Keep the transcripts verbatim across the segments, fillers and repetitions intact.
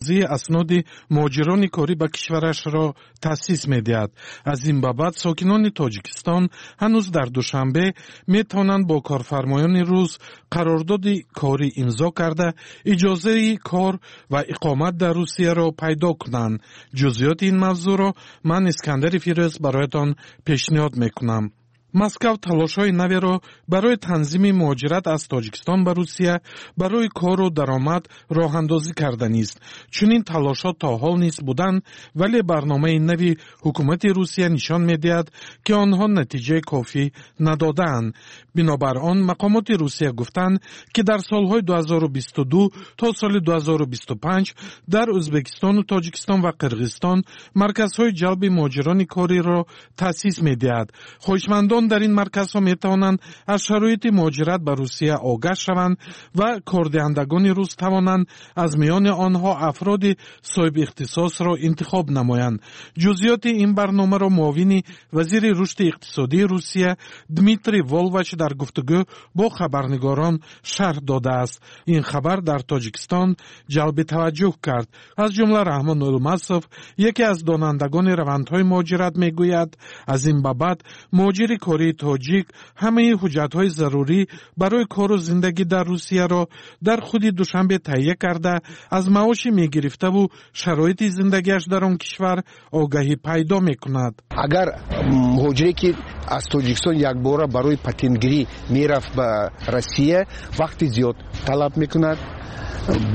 Асноди муҳоҷирони корӣ ба кишварашро таъсис медиҳад. Аз ин ба баъд сокинони Тоҷикистон ҳанӯз дар Душанбе метавонанд бо корфармоёни рус қарордоди корӣ имзо карда, иҷозаи кор ва иқомат дар Русияро пайдо кунанд. Ҷузъиёти ин мавзӯъро ман, Искандари Фирӯз, бароятон пешниҳод мекунам. Москав талошҳои наверо барои танзими муҳоҷират аз Тоҷикистон ба Русия барои кору даромад роҳандозӣ карданист. Чунин талошҳо то ҳол низ буданд, вале барномаи нави ҳукумати Русия нишон медиҳад, ки онҳо натиҷаи кофӣ надодаанд. Бинобар он мақомоти Русия гуфтанд, ки дар солҳои ду ҳазору бисту ду то соли ду ҳазору бисту панҷ дар Ӯзбекистону Тоҷикистон ва Қирғизистон марказҳои ҷалби муҳоҷирони кориро таъсис медиҳад. Хоҳишмандон дар ин марказҳо метавонанд аз шароити муҳоҷират ба Русия огаҳ шаванд ва кордиҳандагони рус тавонанд аз миёни онҳо афроди соҳибихтисосро интихоб намоянд. Ҷузъиёти ин барномаро муовини вазири рушди иқтисодии Русия Дмитрий Волвач дар гуфтугӯ бо хабарнигорон шарҳ додааст. Ин хабар дар Тоҷикистон ҷалби таваҷҷӯҳ кард. Аз ҷумла Раҳмон Улмасов, яке аз донандагони равандҳои муҳоҷират, мегӯяд, аз ин ба баъд муҳоҷири кории тоҷик ҳамаи ҳуҷҷатҳои зарурӣ барои кору зиндагӣ дар Русияро дар худи Душанбе таҳия карда, аз маоши мегирифтаву шароити зиндагиаш дар он кишвар огаҳӣ пайдо мекунад. Агар муҳоҷире, ки аз Тоҷикистон якбора барои патентгирӣ мерафт ба Россия, вақти зиёд талаб мекунад,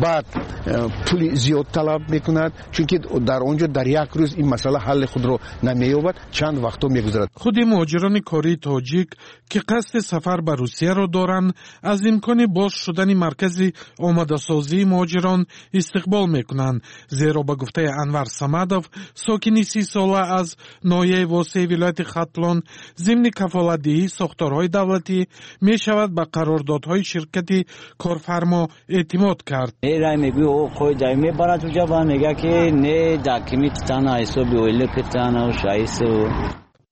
баъд э, пули зиёд талаб мекунад, чунки дар он ҷо дар як рӯз ин масъала ҳалли худро намеёбад, чанд вақтҳо мегузарад. Худи муҳоҷирони кории тоҷик, ки қасди сафар ба Русияро доранд, аз имкони боз шудани маркази омодасозии муҳоҷирон истиқбол мекунанд, зеро ба гуфтаи Анвар Самадов, сокини сисола аз ноҳияи Восеи вилояти Хатлон, зимни кафолатдиҳии сохторҳои давлатӣ мешавад ба қарордодҳои ширкати корфармо эътимод кард. Мерай, мегӯи, о қойда мебарад уҷа ва мега, ки не, документитана ҳисоби ойликитана шаису.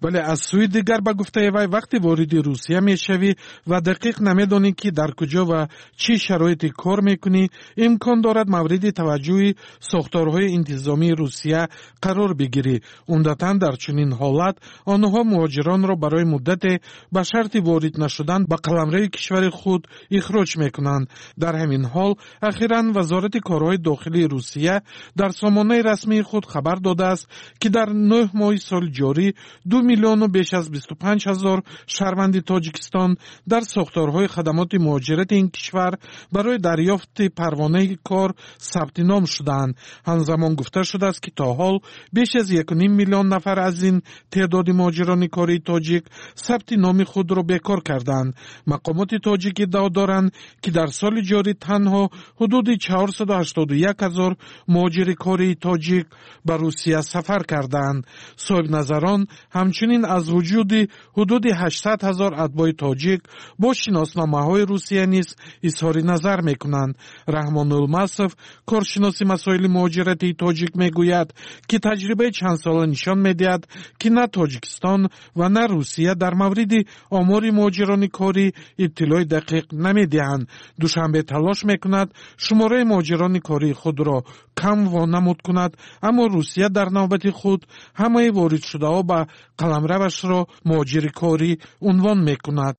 Вале аз сӯи дигар, ба гуфтаи вай, вақте вориди Русия мешавӣ ва дақиқ намедонӣ, ки дар куҷо ва чӣ шароите кор мекунӣ, имкон дорад мавриди таваҷҷӯҳи сохторҳои интизомии Русия қарор бигирӣ. Умдатан дар чунин ҳолат онҳо муҳоҷиронро барои муддате ба шарти ворид нашудан ба қаламрави кишвари худ ихроҷ мекунанд. Дар ҳамин ҳол, ахиран Вазорати корҳои дохилии Русия дар сомонаи расмии худ хабар додааст, ки дар нӯҳ моҳи соли ҷорӣ ду миллиону беш аз бисту панҷ ҳазор шаҳрванди Тоҷикистон дар сохторҳои хадамоти муҳоҷирати ин кишвар барои дарёфти парвонаи кор сабти ном шудаанд. Ҳамзамон гуфта шудааст, ки то ҳол беш аз якуним миллион нафар аз ин теъдоди муҳоҷирони кории тоҷик сабти номи худро бекор кардаанд. Мақомоти тоҷик иддао доранд, ки дар соли ҷорӣ танҳо ҳудуди чаҳорсаду ҳаштоду як ҳазор муҳоҷири кории тоҷик ба Русия сафар кардаанд. Соҳибназарон ҳамчунин аз вуҷуди ҳудуди ҳаштсад ҳазор атбои тоҷик бо шиносномаҳои Русия низ изҳори назар мекунанд. Раҳмон Улмасов, коршиноси масоили муҳоҷиратии тоҷик, мегӯяд, ки таҷрибаи чандсола нишон медиҳад, ки на Тоҷикистон ва на Русия дар мавриди омори муҳоҷирони корӣ иттилои дақиқ намедиҳанд. Душанбе талош мекунад шумораи муҳоҷирони кории худро кам вонамуд кунад, аммо Русия дар навбати худ ҳамаи воридшудаҳо ба қаламравашро муҳоҷири корӣ унвон мекунад.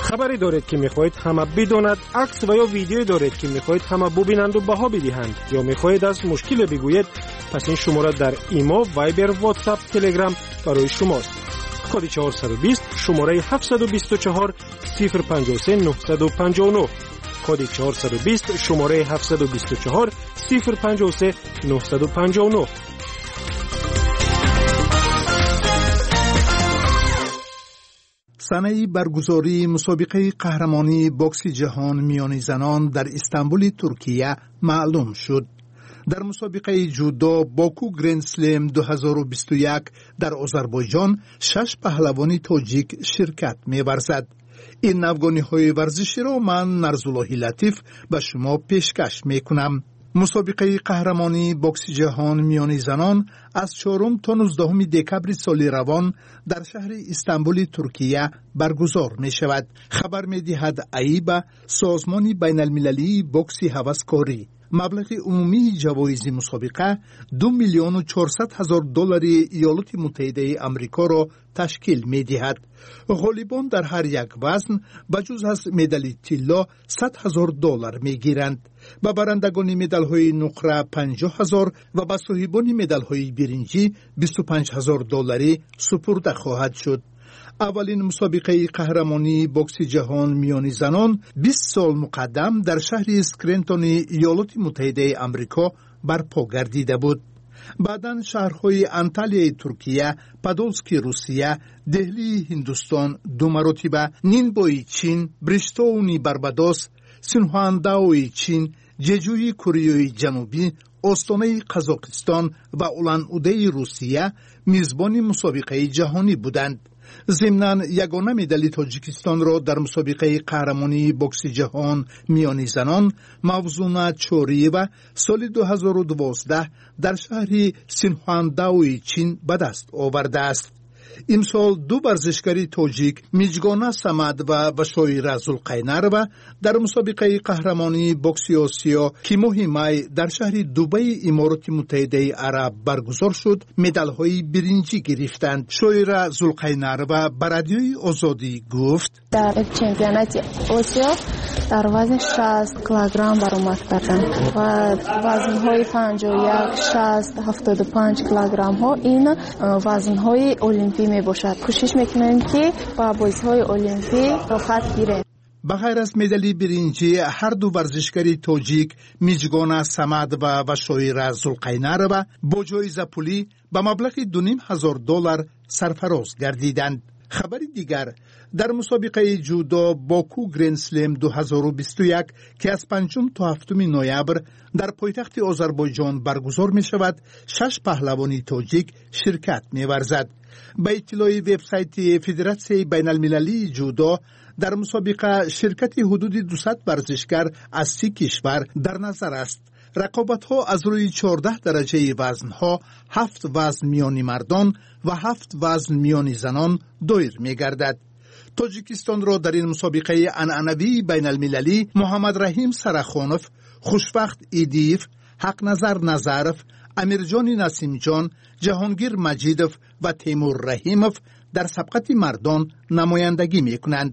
Хабаре доред, ки мехоҳед ҳама бидонад? Акс ва ё видеое доред, ки мехоҳед ҳама бубинанду баҳо бидиҳанд, ё мехоҳед аз мушкиле бигӯед? Пас ин шумора дар Имо, Вайбер, Ватсап, Телеграм барои шумост. Коди чаҳорсаду бист, шумораи ҳафтсаду бисту чаҳор сифр панҷоҳу се нӯҳсаду панҷоҳу нӯҳ. Коди чаҳорсаду бист, шумораи ҳафтсаду бисту чаҳор сифр панҷоҳу се нӯҳсаду панҷоҳу нӯҳ. Санаи баргузории мусобиқаи қаҳрамонии бокси ҷаҳон миёни занон дар Истанбули Туркия маълум шуд. Дар мусобиқаи ҷудо Боку Грендслем ду ҳазору бисту як дар Озарбойҷон шаш паҳлавони тоҷик ширкат меварзад. Ин навгониҳои варзиширо ман, Нарзуллоҳи Латиф, ба шумо пешкаш мекунам. Мусобиқаи қаҳрамонии бокси ҷаҳон миёни занон аз чорум то нуздаҳуми декабри соли равон дар шаҳри Истанбули Туркия баргузор мешавад. Хабар медиҳад АИБА, созмони байналмилалии бокси ҳаваскорӣ. Маблағи умумии ҷавоизи мусобиқа ду миллиону чорсад ҳазор доллари Иёлоти Муттаҳидаи Амрикоро ташкил медиҳад. Ғолибон дар ҳар як вазн ба ҷуз аз медали тилло сад ҳазор доллар мегиранд. Ба барандагони медалҳои нуқра панҷоҳ ҳазор ва ба соҳибони медалҳои биринҷӣ бисту панҷ ҳазор долларӣ супурда хоҳад шуд. Аввалин мусобиқаи қаҳрамонии бокси ҷаҳон миёни занон бист сол муқаддам дар шаҳри Скрентони Иёлоти Муттаҳидаи Амрико барпо гардида буд. Баъдан шаҳрҳои Анталияи Туркия, Подолски Русия, Деҳлии Ҳиндустон ду маротиба, Нинбои Чин, Бриштоуни Барбадос, Синхуандаои Чин, Ҷеҷӯи Кореяи Ҷанубӣ, Остонаи Қазоқистон ва Улан-Удеи Русия мизбони мусобиқаи ҷаҳонӣ буданд. Зимнан ягона медали Тоҷикистонро дар мусобиқаи қаҳрамонии бокси ҷаҳон миёни занон Мавзуна Чориева соли ду ҳазору дувоздаҳ дар шаҳри Синхуандаои Чин ба даст овардааст. Имсол ду варзишгари тоҷик Миҷгона Самадова ва Шоира Зулқайнарова дар мусобиқаи қаҳрамонии бокси Осиё, ки моҳи май дар шаҳри Дубаи Имороти Муттаҳидаи Араб баргузор шуд, медалҳои биринҷӣ гирифтанд. Шоира Зулқайнарова ба Радиои Озодӣ гуфт: дар чемпионати Осиё дар вазни шаст килограмм баромад кардам ва вазнҳои панҷоҳу як, шаст, ҳафтоду панҷ килограммҳо ин вазнҳои олимпӣ мебошад. Кӯшиш мекунем, ки ба бозиҳои олимпӣ роҳат гирем. Ба ғайр аз медали биринҷӣ, ҳар ду варзишгари тоҷик Миҷгона Самадова ва Шоира Зулқайнарова бо ҷоизапулӣ ба маблағи ду ним ҳазор доллар сарфароз гардиданд. Хабари дигар: дар мусобиқаи ҷудо Боку Гренслем ду ҳазору бисту як, ки аз панҷум то ҳафтуми ноябр дар пойтахти Озарбойҷон баргузор мешавад, шаш паҳлавони тоҷик ширкат меварзад. Ба иттилои вебсайти Федератсияи байналмилалии ҷудо, дар мусобиқа ширкати ҳудуди дусад варзишгар аз си кишвар дар назар аст. Рақобатҳо аз рӯи чордаҳ дараҷаи вазнҳо, ҳафт вазн миёни мардон ва ҳафт вазн миёни занон доир мегардад. Тоҷикистонро дар ин мусобиқаи анъанавии байналмилалӣ Муҳаммадраҳим Сарахонов, Хушбахт Идиев, Ҳақназар Назаров, Амирҷони Насимҷон, Ҷаҳонгир Маҷидов ва Темур Раҳимов дар сабқати мардон намояндагӣ мекунанд.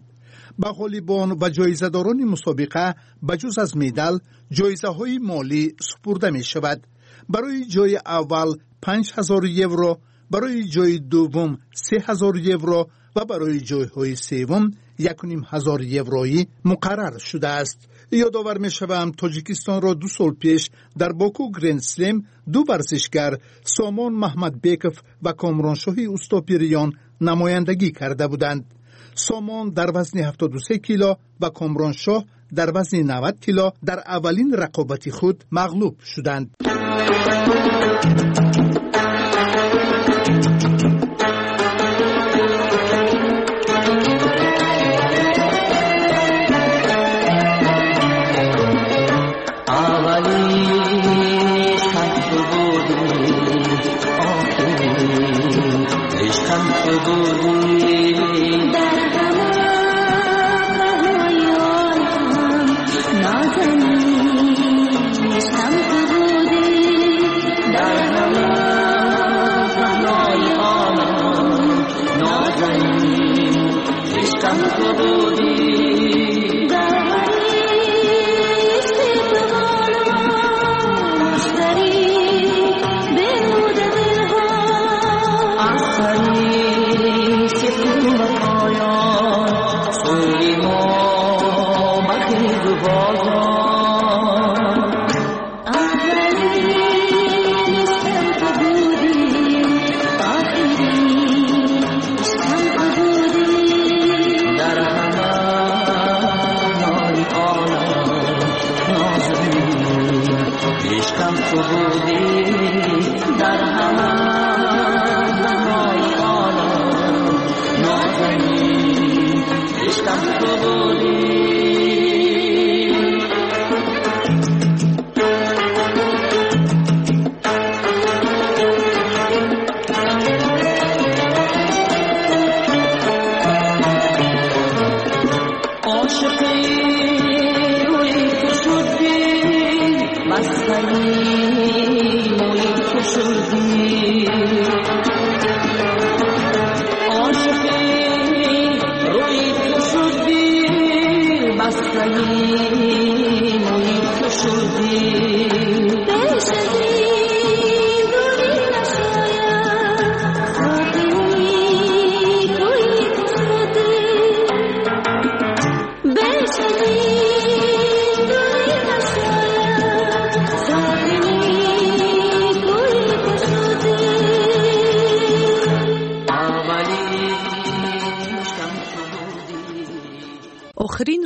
Ба ғолибон ва ҷоизадорони мусобиқа ба ҷуз аз медал ҷоизаҳои молӣ супурда мешавад. Барои ҷои аввал панҷ ҳазор евро, барои ҷои дуввум се ҳазор евро ва барои ҷойҳои севум як ним ҳазор евроӣ муқаррар шудааст. Ёдовар мешавам, Тоҷикистонро ду сол пеш дар Боку Грендслем ду варзишгар Сомон Маҳмадбеков ва Комроншоҳи Устопириён намояндагӣ карда буданд. Сомон дар вазни ҳафтоду се кило ва Комроншоҳ дар вазни навад кило дар аввалин рақобати худ мағлуб шуданд.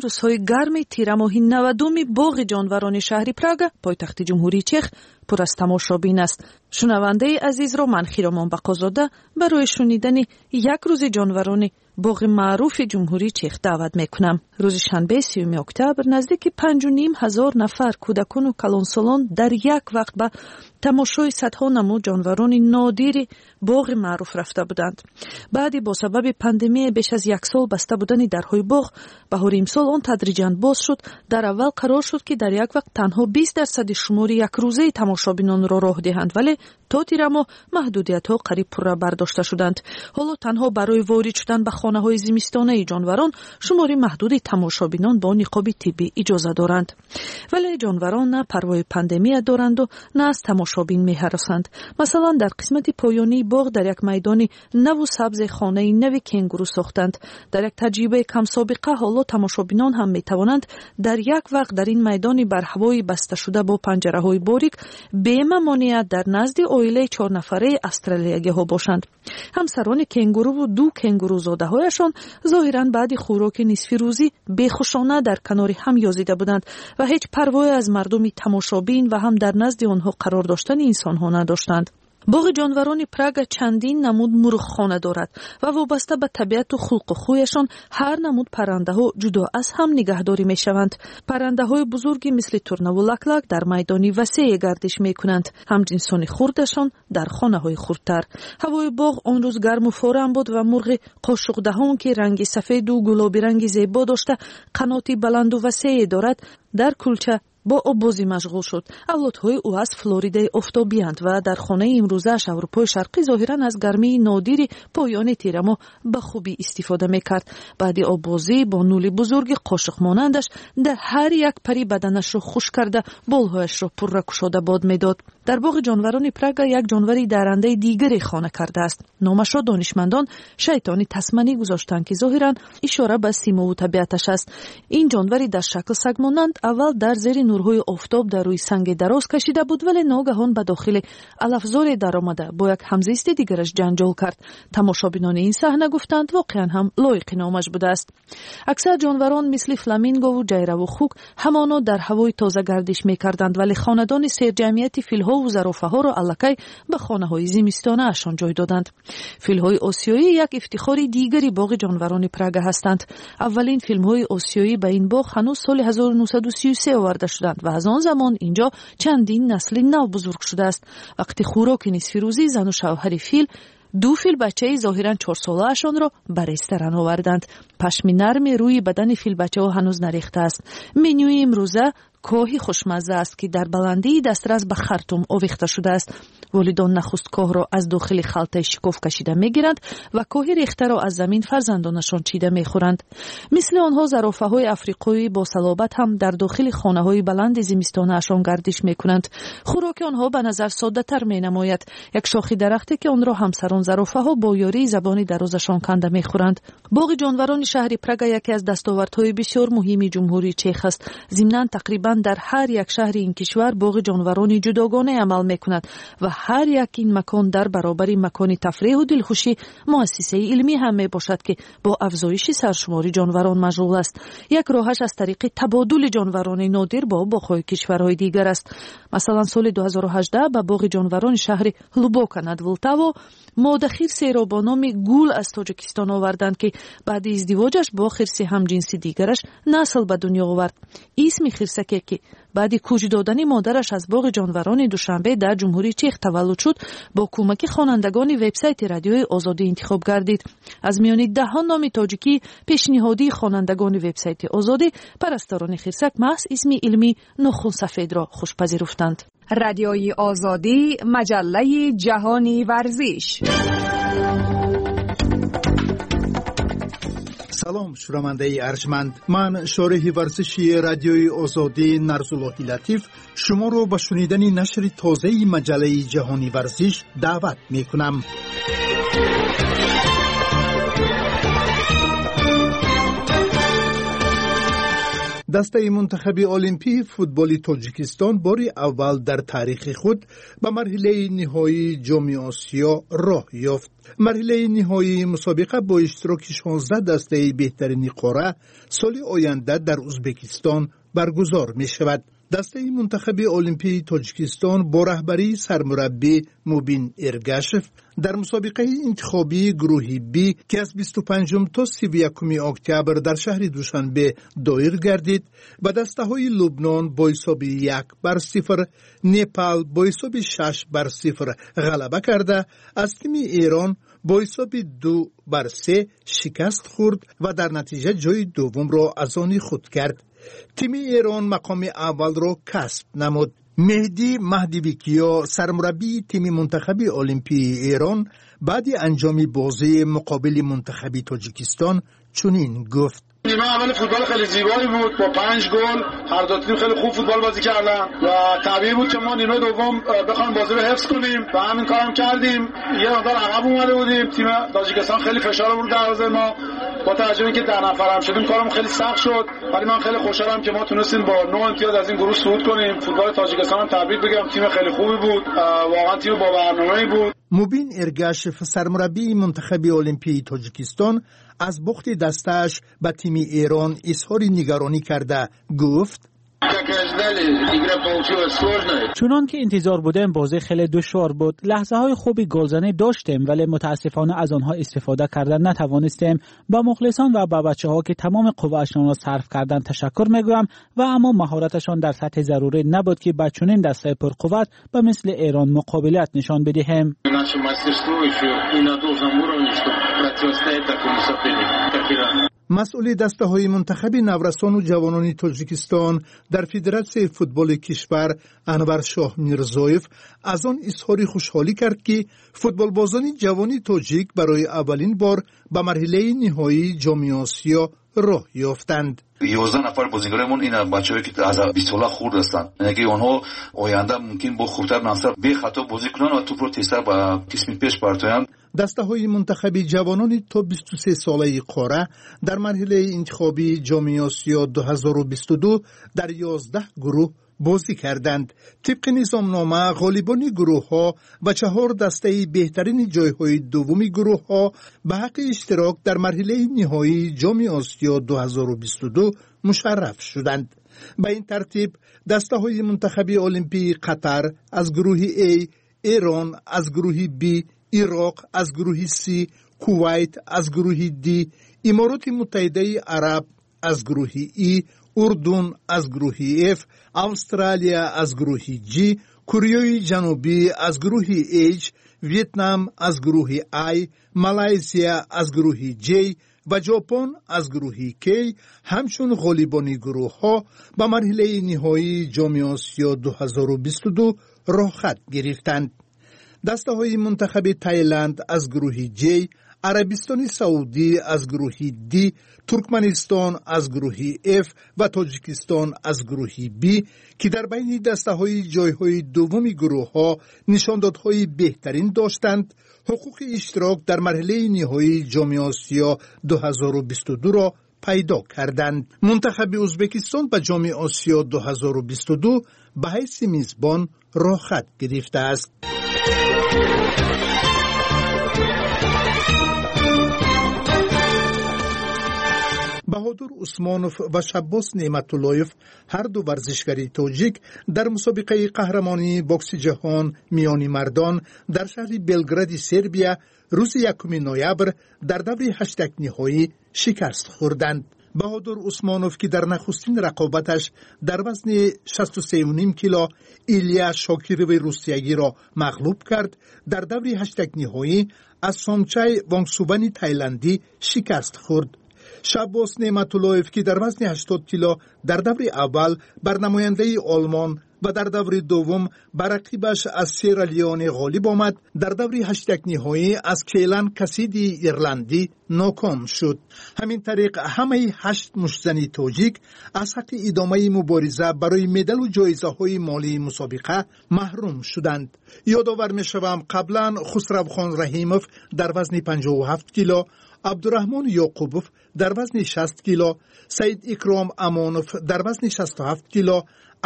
Рӯзҳои гарми тирамоҳи навадуми боғи ҷонварони шаҳри Прага, пойтахти Ҷумҳурии Чех, пур аз тамошобин аст. Шунавандаи азизро ман, Хиромон Бақозода, барои шунидани як рӯзи ҷонварони боғи маъруфи Ҷумҳурии Чех даъват мекунам. Рӯзи шанбе, сиюми октябр, наздики панҷу ним ҳазор нафар кӯдакону калонсолон дар як вақт ба тамошои садҳо намуд ҷонварони нодири боғи маъруф рафта буданд. Баъди бо сабаби пандемия беш аз як сол баста будани дарҳои боғ, баҳори имсол он тадриҷан боз шуд. Дар аввал қарор шуд, ки дар як вақт танҳо бист дарсади шумори якрӯзаи тамошобинонро роҳ диҳанд, вале то тирамоҳ маҳдудиятҳо қариб пурра бардошта шуданд. Ҳоло танҳо барои ворид шудан ба хонаҳои зимистонаи ҷонварон шумори маҳдуди тамошобинон бо ниқоби тиббӣ иҷоза доранд. Вале ҷонварон на парвои пандемия доранду, на аз тамошобин меҳаросанд. Масалан, дар қисмати поёнии боғ дар як майдони наву сабзе хонаи нави кенгуру сохтанд. Дар як таҷрибаи камсобиқа ҳоло тамошобинон ҳам метавонанд дар як вақт дар ин майдони барҳавои басташуда бо панҷараҳои борик бемамоният дар назди оилаи чорнафараи австралиягиҳо бошанд. Ҳамсарони кенгуруву ду кенгурузодаҳояшон зоҳиран баъди хӯроки нисфирӯзӣ бехушона дар канори ҳам ёзида буданд ва ҳеҷ парвое аз мардуми тамошобин ва ҳам дар назди онҳо қарор доштани инсонҳо надоштанд. Боғи ҷонварони Прага чандин намуд мурғхона дорад ва вобаста ба табиату хулқу хӯяшон ҳар намуд паррандаҳо ҷудо аз ҳам нигаҳдорӣ мешаванд. Паррандаҳои бузурги мисли турнаву лаклак дар майдони васее гардиш мекунанд, ҳамҷинсони хурдашон дар хонаҳои хурдтар. Ҳавои боғ он рӯз гарму форам буд ва мурғи қошуқдаҳон, ки ранги сафеду гулобиранги зебо дошта, қаноти баланду васее дорад, дар кулча бо оббозӣ машғул шуд. Авлодҳои ӯ аз Флоридаи офтобиянд ва дар хонаи имрӯзааш Аврупои Шарқӣ зоҳиран аз гармии нодири поёни тирамоҳ ба хубӣ истифода мекард. Баъди оббозӣ бо нули бузурги қошуқмонандаш дар ҳар як пари баданашро хушк карда, болҳояшро пурра кушода бод медод. Дар боғи ҷонварони Прага як ҷонвари дарандаи дигаре хона кардааст. Номашро донишмандон шайтони тасманӣ гузоштанд, ки зоҳиран ишора ба симову табиаташ аст. Ин ҷонвари дар шакл сагмонанд аввал дар зери нурҳои офтоб дар рӯи санге дароз кашида буд, вале ногаҳон ба дохили алафзоре даромада бо як ҳамзисти дигараш ҷанҷол кард. Тамошобинони ин саҳна гуфтанд, воқеан ҳам лоиқи номаш будааст. Аксар ҷонварон мисли фламингову ҷайраву хук ҳамоно дар ҳавои тоза гардиш мекарданд, вале хонадони серҷамъияти филҳову зарофаҳоро аллакай ба хонаҳои зимистонаашон ҷой доданд. Филҳои осиёӣ як ифтихори дигари боғи ҷонварони Прага ҳастанд. Аввалин филмҳои осиёӣ ба ин боғ ҳанӯз соли ҳазору нӯҳсаду сию се оварда шуданд ва аз он замон инҷо чандин насли нав бузург шудааст. Вақти хӯроки нисфирӯзӣ зану шавҳари фил ду филбачаи зоҳиран чорсолаашонро ба ресторан оварданд. Пашми нарми рӯи бадани филбачаҳо ҳанӯз нарехтааст. Менюи имрӯза коҳи хушмазза аст, ки дар баландии дастрас ба хартум овехта шудааст. Волидон нахуст коҳро аз дохили халтаи шикоф кашида мегиранд ва коҳи рехтаро аз замин фарзандонашон чида мехӯранд. Мисли онҳо зарофаҳои африқоӣ бо салобат ҳам дар дохили хонаҳои баланди зимистонаашон гардиш мекунанд. Хӯроки онҳо ба назар соддатар менамояд. Як шохи дарахте, ки онро ҳамсарон зарофаҳо бо ёрии забони дарозашон канда мехӯранд. Боғи ҷонварони шаҳри Прага яке аз дастовардҳои бисёр муҳими Ҷумҳурии Чех аст. Зимнан тақрибан дар ҳар як шаҳри ин кишвар боғи ҷонварони ҷудогона амал мекунад ва ҳар як ин макон дар баробари макони тафреҳу дилхушӣ муассисаи илмӣ ҳам мебошад, ки бо афзоиши саршумори ҷонварон машғул аст. Як роҳаш аз тариқи табодули ҷонварони нодир бо боғҳои кишварҳои дигар аст. Масалан, соли ду ҳазору ҳаждаҳ ба боғи ҷонварони шаҳри Ҳлубока над Влтаво мода хирсеро бо номи Гул аз Тоҷикистон оварданд, ки баъди издивоҷаш бо хирси ҳамҷинси дигараш насл ба дунё овард. Исми хирсаке, ки баъди кӯч додани модараш аз боғи ҷонварони Душанбе дар Ҷумҳурии Чех таваллуд шуд, бо кӯмаки хонандагони вебсайти Радиои Озодӣ интихоб гардид. Аз миёни даҳон номи тоҷикӣ пешниҳодии хонандагони вебсайти Озодӣ парасторони хирсак маҳз исми илмӣ нохунсафедро хушпазируфтанд. Радиои Озодӣ, маҷаллаи ҷаҳони варзиш. Салом, шунавандаи арҷманд. Ман, шореҳи варзиши Радиои Озодӣ Нарзуллоҳи Латиф, шуморо ба шунидани нашри тозаи маҷаллаи ҷаҳони варзиш даъват мекунам. Дастаи мунтахаби олимпии футболи Тоҷикистон бори аввал дар таърихи худ ба марҳилаи ниҳоии Ҷоми Осиё роҳ ёфт. Марҳилаи ниҳоии мусобиқа бо иштироки шонздаҳ дастаи беҳтарини қора соли оянда дар Узбекистон баргузор мешавад. Дастаи мунтахаби олимпии Тоҷикистон бо раҳбарии сармураббӣ Мубин Эргашев дар мусобиқаи интихобии гурӯҳи Б, ки аз бисту панҷум то сиву якуми октябр дар шаҳри Душанбе доир гардид, ба дастаҳои Лубнон бо ҳисоби як бар сифр, Непал бо ҳисоби шаш бар сифр ғалаба карда, аз тими Эрон бо ҳисоби ду бар се шикаст хӯрд ва дар натиҷа ҷои дуввумро аз они худ кард. Тими Эрон мақоми аввалро касб намуд. Меҳдӣ Маҳдивикиё, сармураббии тими мунтахаби олимпии Эрон, баъди анҷоми бозии муқобили мунтахаби Тоҷикистон чунин гуфт: نیمه اول فوتبال خیلی زیبایی بود با پنج گل، هر دو تیم خیلی خوب فوتبال بازی کردن و طبیعی بود که ما نیمه دوم بخوایم بازی رو حفظ کنیم و همین کارم کردیم. یه مقدار عقب اومده بودیم، تیم تاجیکستان خیلی فشار آورد دروازه ما. با توجه به اینکه ده نفر هم شدیم کارم خیلی سخت شد، ولی من خیلی خوشحالم که ما تونستیم با نه امتیاز از این گروه صعود کنیم. فوتبال تاجیکستان هم تبریک بگم، تیم خیلی خوبی بود، واقعا تیم با برنامه‌ای بود. Мубин Эргашев, сармураббии мунтахаби олимпии Тоҷикистон, аз бохти дастааш ба тими Эрон изҳори нигаронӣ карда гуфт: чунон ки интизор будем, бозӣ хеле душвор буд. Лаҳзаҳои хуби голзанӣ доштем, вале мутаассифона аз онҳо истифода карда натавонистем. Ба мухлисон ва ба бачаҳо, ки тамоми қувваашонро сарф карданд, ташаккур мегӯям ва аммо маҳораташон дар сатҳи зарурӣ набуд, ки ба чунин дастаи пурқувват ба мисли Эрон муқобилат нишон бидиҳем. Наше мастерство еще не на должном уровне, чтобы противостоять такому сопернику, как Иран. Масъули дастаҳои мунтахаби наврасону ҷавонони Тоҷикистон дар Федератсияи футболи кишвар Анваршоҳ Мирзоев аз он изҳори хушҳолӣ кард, ки футболбозони ҷавони тоҷик барои аввалин бор ба марҳилаи ниҳоии Ҷоми Осиё роҳ ёфтанд. Ёздаҳ нафар бозигарои ин бачаҳое ки аз бист сола хурд ҳастанд, яъне ки онҳо оянда мумкин бо хурдтар мансаб бехато бозӣ кунанд ва тӯпро тезтар ба қисми пеш партоянд. Дастаҳои мунтахаби ҷавонони то бисту се солаи қора дар марҳилаи интихобии Ҷоми Осиё ду ҳазору бисту ду дар ёздаҳ гурӯҳ бозӣ карданд. Тибқи низомнома, ғолибони гурӯҳҳо ва чаҳор дастаи беҳтарини ҷойҳои дуввуми гурӯҳҳо ба ҳаққи иштирок дар марҳилаи ниҳоии Ҷоми Осиё ду ҳазору бисту ду мушарраф шуданд. Ба ин тартиб, дастаҳои мунтахаби олимпии Қатар аз гурӯҳи А, Эрон аз гурӯҳи Б, Ироқ аз гурӯҳи С, Кувайт аз гурӯҳи Д, Имороти Муттаҳидаи Араб аз гурӯҳи И, Урдун аз гурӯҳи Ф, Австралия аз гурӯҳи Ҷ, Кореяи Ҷанубӣ аз гурӯҳи H, Вьетнам аз гурӯҳи I, Малайзия аз гурӯҳи Ҷ ва Ҷопон аз гурӯҳи К ҳамчун ғолибони гурӯҳҳо ба марҳилаи ниҳоии Ҷоми Осиё ду ҳазору бисту ду роҳхат гирифтанд. Дастаҳои мунтахаби Таиланд аз гурӯҳи Ҷ, Арабистони Саудӣ аз гурӯҳи Д, Туркманистон аз гурӯҳи Ф ва Тоҷикистон аз гурӯҳи Б, ки дар байни дастаҳои ҷойҳои дуввуми гурӯҳҳо нишондодҳои беҳтарин доштанд, ҳуқуқи иштирок дар марҳилаи ниҳоии Ҷоми Осиё ду ҳазору бисту дуро пайдо карданд. Мунтахаби Узбекистон ба Ҷоми Осиё ду ҳазору бисту ду ба ҳайси мизбон роҳхат гирифтааст. Баҳодур Усмонов ва Шаббос Неъматуллоев, ҳар ду варзишгари тоҷик, дар мусобиқаи қаҳрамонии бокси ҷаҳон миёни мардон дар шаҳри Белгради Сербия рӯзи якуми ноябр дар даври ҳаштякниҳоӣ шикаст хӯрданд. Баҳодур Усмонов, ки дар нахустин рақобаташ дар вазни шасту сею ним кило Илия Шокирови русиягиро мағлуб кард, дар даври ҳаштякниҳоӣ аз Сомчай Вонгсувани тайландӣ шикаст хӯрд. Шаббос Неъматуллоев, ки дар вазни ҳаштод кило дар даври аввал бар намояндаи Олмон ва дар даври дуввум ба рақибаш аз Сера Леоне ғолиб омад, дар даври ҳаштякниҳоӣ аз Кейлан Касидии ирландӣ ноком шуд. Ҳамин тариқ, ҳамаи ҳашт муштзани тоҷик аз ҳаққи идомаи мубориза барои медалу ҷоизаҳои молии мусобиқа маҳрум шуданд. Ёдовар мешавам, қаблан Хусравхон Раҳимов дар вазни панҷоҳу ҳафт кило, Абдураҳмон Ёқубов дар вазни шаст кило, Саид Икром Амонов дар вазни шасту ҳафт кило,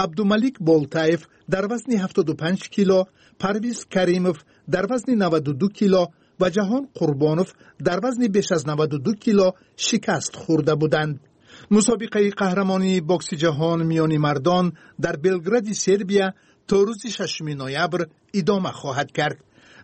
Абдумалик Болтаев дар вазни ҳафтоду панҷ кило, Парвиз Каримов дар вазни наваду ду кило ва Ҷаҳон Қурбонов дар вазни беш аз наваду ду кило шикаст хӯрда буданд. Мусобиқаи қаҳрамонии бокси ҷаҳон миёни мардон дар Белгради Сербия то рӯзи шашуми ноябр идома хоҳад кард.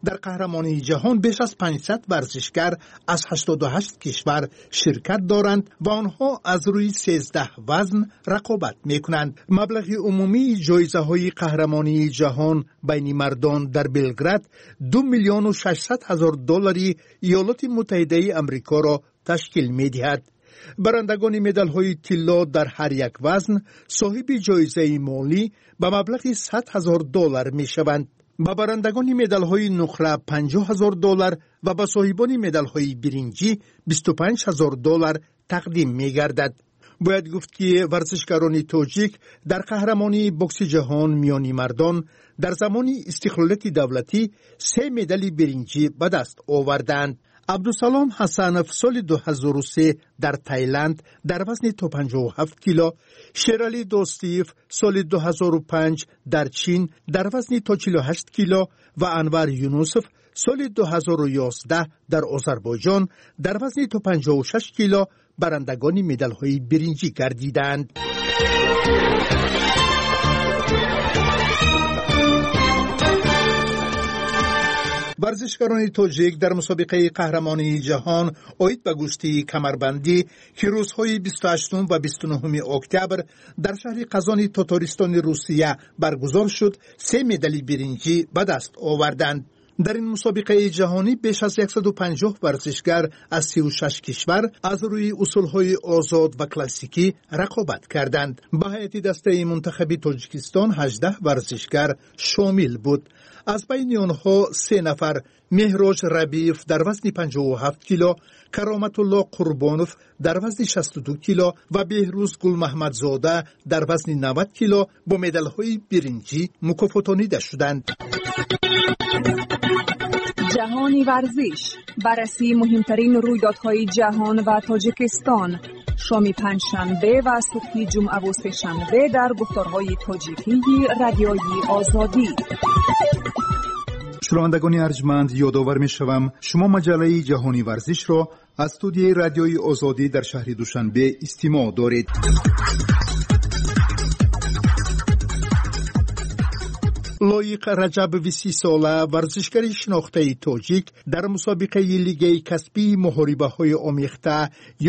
Дар қаҳрамонии ҷаҳон беш аз панҷсад варзишгар аз ҳаштоду ҳашт кишвар ширкат доранд ва онҳо аз рӯи сездаҳ вазн рақобат мекунанд. Маблағи умумии ҷоизаҳои қаҳрамонии ҷаҳон байни мардон дар Белград ду миллиону шашсад ҳазор доллари Иёлоти Муттаҳидаи Амрикоро ташкил медиҳад. Барандагони медалҳои тилло дар ҳар як вазн соҳиби ҷоизаи молӣ ба маблағи сад ҳазор доллар мешаванд. Ба барандагони медалҳои нуқра панҷоҳ ҳазор доллар ва ба соҳибони медалҳои биринҷӣ бисту панҷ ҳазор доллар тақдим мегардад. Бояд гуфт, ки варзишгарони тоҷик дар қаҳрамонии бокси ҷаҳон миёни мардон дар замони истиқлолияти давлатӣ се медали биринҷӣ ба даст оварданд. Абдусалом Ҳасанов соли ду ҳазору се дар Таиланд дар вазни то панҷоҳу ҳафт кило, Шералӣ Достиев соли ду ҳазору панҷ дар Чин дар вазни то чилу ҳашт кило ва Анвар Юнусов соли ду ҳазору ёздаҳ дар Озарбойҷон дар вазни то панҷоҳу шаш кило барандагони медалҳои биринҷӣ гардиданд. Варзишгарони тоҷик дар мусобиқаи қаҳрамонии ҷаҳон оид ба гӯштии камарбандӣ, ки рӯзҳои бисту ҳаштум ва бисту нуҳуми октябр дар шаҳри Қазони Тотористони Русия баргузор шуд, се медали биринҷӣ ба даст оварданд. Дар ин мусобиқаи ҷаҳонӣ беш аз яксаду панҷоҳ варзишгар аз сию шаш кишвар аз рӯи усулҳои озод ва классикӣ рақобат карданд. Ба ҳайати дастаи мунтахаби Тоҷикистон ҳаждаҳ варзишгар шомил буд. Аз байни онҳо се нафар Меҳроҷ Рабиев дар вазни панҷоҳу ҳафт кило, Кароматулло Қурбонов дар вазни шасту ду кило ва Беҳрӯз Гулмаҳмадзода дар вазни навад кило бо медалҳои биринҷӣ мукофотонида шуданд. Ҷаҳони варзиш, баррасии муҳимтарин рӯйдодҳои ҷаҳон ва Тоҷикистон. Шоми панҷшанбе ва субҳи ҷумъаву сешанбе дар гуфторҳои тоҷикии Радиои Озодӣ. Шунавандагони арҷманд, ёдовар мешавам, шумо маҷаллаи ҷаҳони варзишро аз студияи Радиои Озодӣ дар шаҳри Душанбе истимоъ доред. Лоиқ Раҷабови сисола, варзишгари шинохтаи тоҷик, дар мусобиқаи лигаи касбии муҳорибаҳои омехта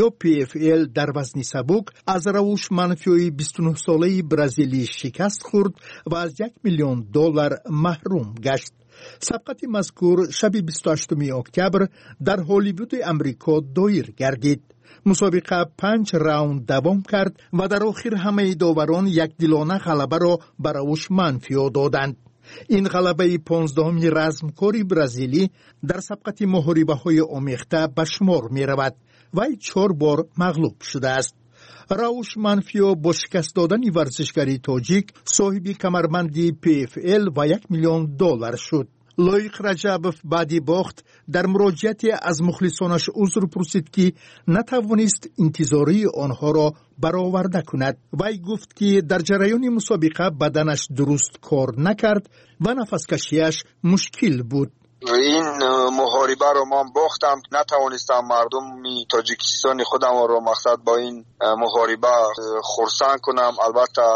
ё Пи Эф Эл дар вазни сабук аз Равуш Манфиёи бисту нӯҳсолаи бразилӣ шикаст хӯрд ва аз як миллион доллар маҳрум гашт. Сабқати мазкур шаби бисту ҳаштуми октябр дар Ҳолливуди Амрико доир гардид. Мусобиқа панҷ раунд давом кард ва дар охир ҳамаи доварон якдилона ғалабаро ба Равуш Манфиё доданд. Ин ғалабаи понздаҳуми размкори бразилӣ дар сабқати муҳорибаҳои омехта ба шумор меравад. Вай чор бор мағлуб шудааст. Рауш Манфиё бо шикаст додани варзишгари тоҷик соҳиби камарбанди Пи Эф Эл ва як миллион доллар шуд. Лоиқ Раҷабов баъди бохт дар муроҷиате аз мухлисонаш узр пурсид, ки натавонист интизории онҳоро бароварда кунад. Вай гуфт, ки дар ҷараёни мусобиқа баданаш дуруст кор накард ва нафаскашиаш мушкил буд. Ин муҳорибаро ман бохтам, натавонистам мардуми Тоҷикистони худамро мақсад бо ин муҳориба хурсанд кунам. Албатта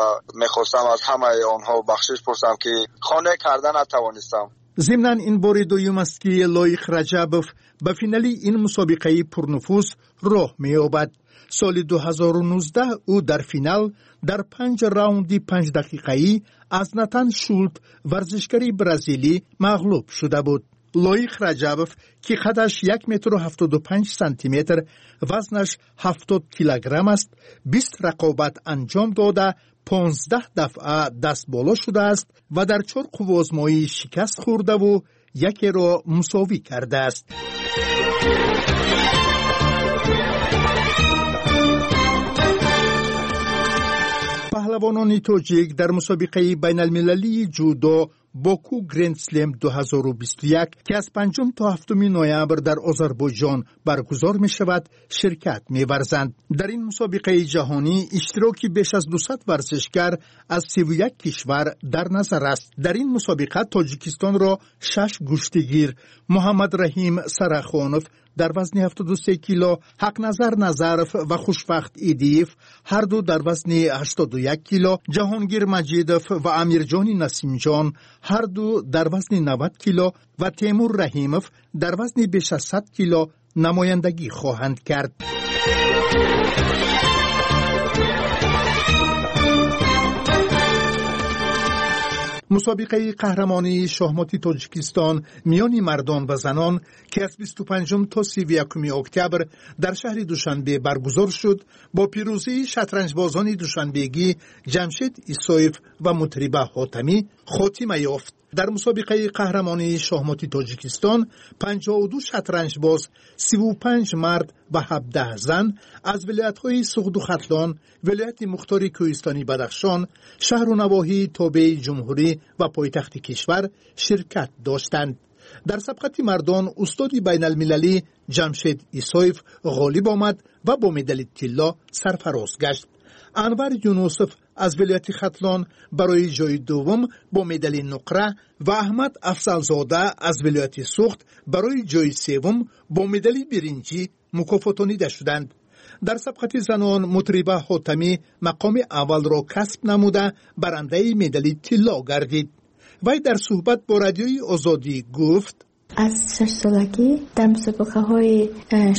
мехостам аз ҳамаи онҳо бахшиш пурсам, ки хона карда натавонистам. Зимнан ин бори дуюм аст, ки Лоиқ Раҷабов ба финали ин мусобиқаи пурнуфуз роҳ меёбад. Соли ду ҳазору нуздаҳ ӯ дар финал дар панҷ раунди панҷдақиқаӣ аз Натан Шулт, варзишгари бразилӣ, мағлуб шуда буд. Лоиқ Раҷабов, ки қадаш як метру ҳафтоду панҷ сантиметр, вазнаш ҳафтод килограмм аст, бист рақобат анҷом дода, понздаҳ дафъа дастболо шудааст ва дар чор қувваозмоӣ шикаст хӯрдаву якеро мусовӣ кардааст. Паҳлавонони тоҷик дар мусобиқаи байналмилалии ҷудо Боку Гренд Слем ду ҳазору бисту як, ки аз панҷум то ҳафтуми ноябр дар Озарбойҷон баргузор мешавад, ширкат меварзанд. Дар ин мусобиқаи ҷаҳонӣ иштироки беш аз дусад варзишгар аз сиву як кишвар дар назар аст. Дар ин мусобиқа Тоҷикистонро шаш гӯштигир Муҳаммад Раҳим Сарахонов дар вазни ҳафтоду се кило, Ҳақназар Назаров ва Хушбахт Идиев ҳарду дар вазни ҳаштоду як кило, Ҷаҳонгир Маҷидов ва Амирҷони Насимҷон ҳарду дар вазни навад кило ва Темур Раҳимов дар вазни беш аз сад кило намояндагӣ хоҳанд кард. Мусобиқаи қаҳрамонии шоҳмоти Тоҷикистон миёни мардон ва занон, ки аз бисту панҷум то сиву якуми октябр дар шаҳри Душанбе баргузор шуд, бо пирӯзии шатранҷбозони душанбегӣ Ҷамшед Исоев ва Мутриба Ҳотамӣ хотима ёфт. Дар мусобиқаи қаҳрамонии шоҳмоти Тоҷикистон панҷоҳу ду шатранҷбоз, сиву панҷ мард ва ҳабдаҳ зан аз вилоятҳои Суғду Хатлон, вилояти Мухтори Кӯҳистони Бадахшон, шаҳру навоҳии тобеи ҷумҳурӣ ва пойтахти кишвар ширкат доштанд. Дар сабқати мардон устоди байналмилалӣ Ҷамшед Исоев ғолиб омад ва бо медали тилло сарфароз гашт. Анвар Юнусов аз вилояти Хатлон барои ҷои дуввум бо медали нуқра ва Аҳмад Афзалзода аз вилояти Суғд барои ҷои севум бо медали биринҷӣ мукофотонида шуданд. Дар сабқати занон Мутриба Ҳотамӣ мақоми аввалро касб намуда барандаи медали тилло гардид. Вай дар суҳбат бо радиои Озодӣ гуфт: аз шаш солагӣ дар мусобиқаҳои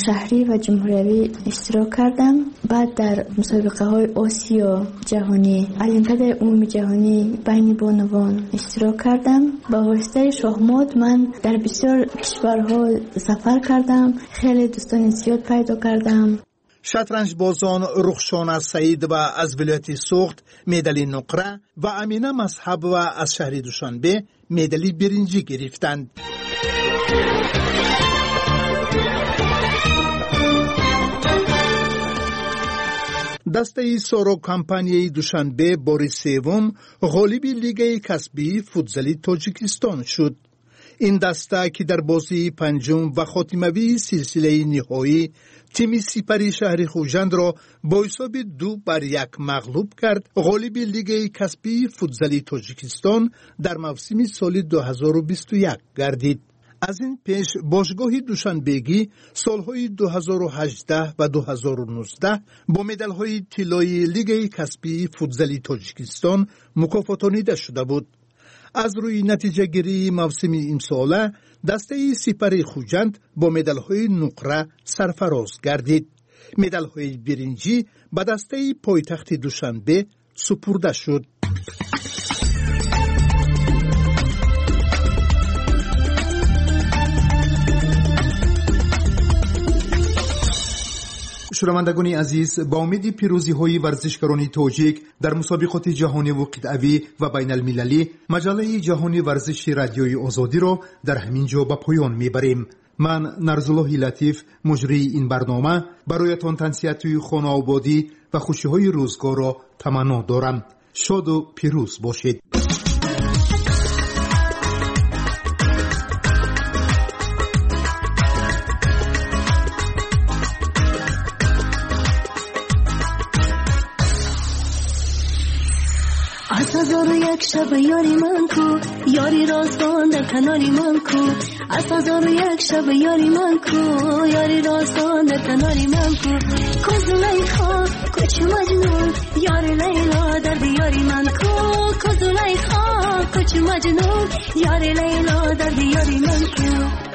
шаҳрӣ ва ҷумҳуриявӣ иштирок кардам. Баъд дар мусобиқаҳои Осиё ҷаҳонӣ, Олимпиадаи умумии ҷаҳонӣ байни бонувон иштирок кардам. Ба воситаи шоҳмот ман дар бисёр кишварҳо сафар кардам, хеле дӯстони зиёд пайдо кардам. Шатранҷбозон Рухшона Саидова аз вилояти Суғд медали нуқра ва Амина Мазҳабова аз шаҳри Душанбе медали биринҷӣ гирифтанд. Дастаи Соро компанияи Душанбе бори севум ғолиби лигаи касбии футзали Тоҷикистон шуд. Ин даста, ки дар бозии панҷум ва хотимавии силсилаи ниҳоӣ тими Сипари шаҳри Хуҷандро бо ҳисоби ду бар як мағлуб кард, ғолиби лигаи касбии футзали Тоҷикистон дар мавсими соли ду ҳазору бисту як гардид. Аз ин пеш бошгоҳи Душанбегӣ солҳои ду ҳазору ҳаждаҳ ва ду ҳазору нуздаҳ бо медалҳои тиллоии лигаи касбии футзали Тоҷикистон мукофотонида шуда буд. Аз рӯи натиҷагирии мавсими имсола дастаи Сипари Хуҷанд бо медалҳои нуқра сарфароз гардид. Медалҳои биринҷӣ ба дастаи пойтахти Душанбе супурда шуд. Шунавандагони азиз, ба умеди пирӯзиҳои варзишгарони тоҷик дар мусобиқоти ҷаҳониву қитъавӣ ва байналмилалӣ, маҷаллаи ҷаҳони варзиши радиои Озодиро дар ҳамин ҷо ба поён мебарем. Ман Нарзуллоҳи Латиф, муҷрии ин барнома, бароятон тансиҳатии хонаободӣ ва хушиҳои рӯзгорро таманно дорам. Шоду пирӯз бошед. Аз ҳазору як шаб ёри ман ку, ёри роздон дар канори ман ку. Аз ҳазору як шаб ёри ман ку, ёри роздон дар канори ман ку. Ку Зулайхо, ку чу Маҷнун, ёри Лайло дар диёри ман ку. Ку Зулайхо, ку чу Маҷнун, ёри Лайло дар диёри ман ку.